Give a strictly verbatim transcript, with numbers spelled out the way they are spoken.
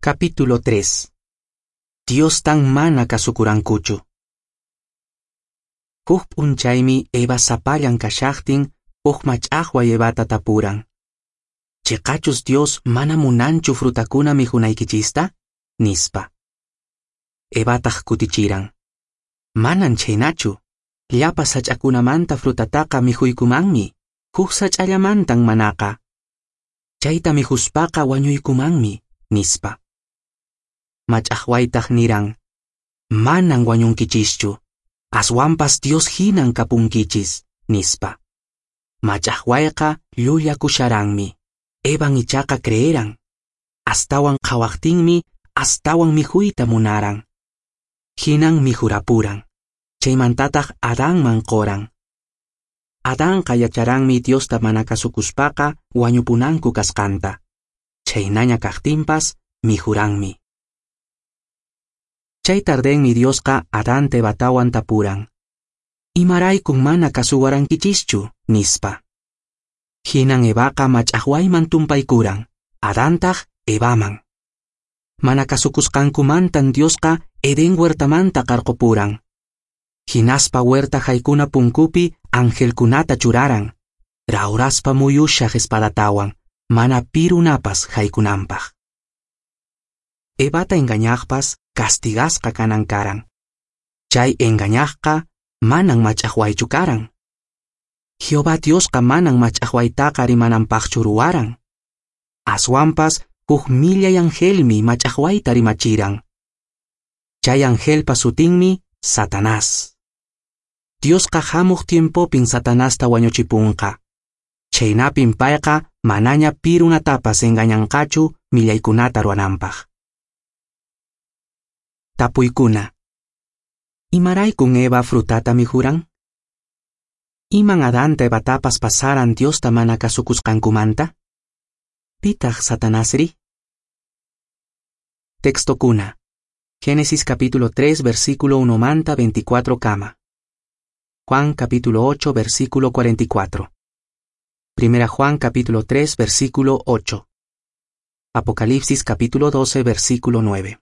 Capítulo tres. Diostan mana kasukurankuchu. Huk p'unchaymi Eva sapallan kashaqtin huk mach'aqway Evata tapuran. Chiqachus Dios mana munanchu frutakuna mikhunaykichista? Nispa. Evataq kutichiran. Manan chhaynachu. Llapa sach'akunamanta frutataqa mikhuykumanmi, huk sach'allamantan manaqa. Chayta mikhuspaqa wañuykumanmi, nispa. Mach'aqwaytaq niran, manan wañunkichischu, aswanpas Dios hinan kapunkichis, nispa. Mach'aqwayqa llullakusharanmi, Evan ichaqa creeran. Astawan qhawaqtinmi, astawan mikhuyta munaran. Hinan mikhurapuran. Chaymantataq Adanman qoran. Adanqa yacharanmi Diosta mana kasukuspaqa wañupunanku kasqanta. Chhaynaña kaqtinpas mikhuranmi. Chay tardenmi Diosqa Adanta Evatawan tapuran. Imaraykun mana kasuwarankichischu, nispa. Hinan Evaqa mach'aqwayman tumpaykuran, Adantaq Evaman. Mana kasukusqankumantan Diosqa Edén huertamanta qarqupuran. Hinaspa huerta haykuna punkupi angelkunata churaran, rawraspa muyushaq espadatawan, mana pirunapas haykunanpaq. Evata engañaqpas castigasqa kanan karan. Chay engañaqqa manan mach'aqwaychu karan. Jehová Diosqa manan mach'aqwaytaqa rimananpaqchu ruwaran. Aswanpas huk millay angelmi mach'aqwayta rimachiran. Chay angelpa sutinmi Satanás. Diosqa hamuq tiempopin Satanasta wañuchipunqa. Chhaynapin payqa manaña pirunatapas engañanqachu millaykunata ruwananpaq. Tapuykuna. Imaraykun Eva frutata mikhuran? Iman Adanta Evatapas pasaran Diosta mana kasukusqankumanta? Pitaq Satanasri? Textokuna. Génesis capítulo tres versículo uno manta veinticuatro kama. Juan capítulo ocho versículo cuarenta y cuatro. Primera Juan capítulo tres versículo ocho. Apocalipsis capítulo doce versículo nueve.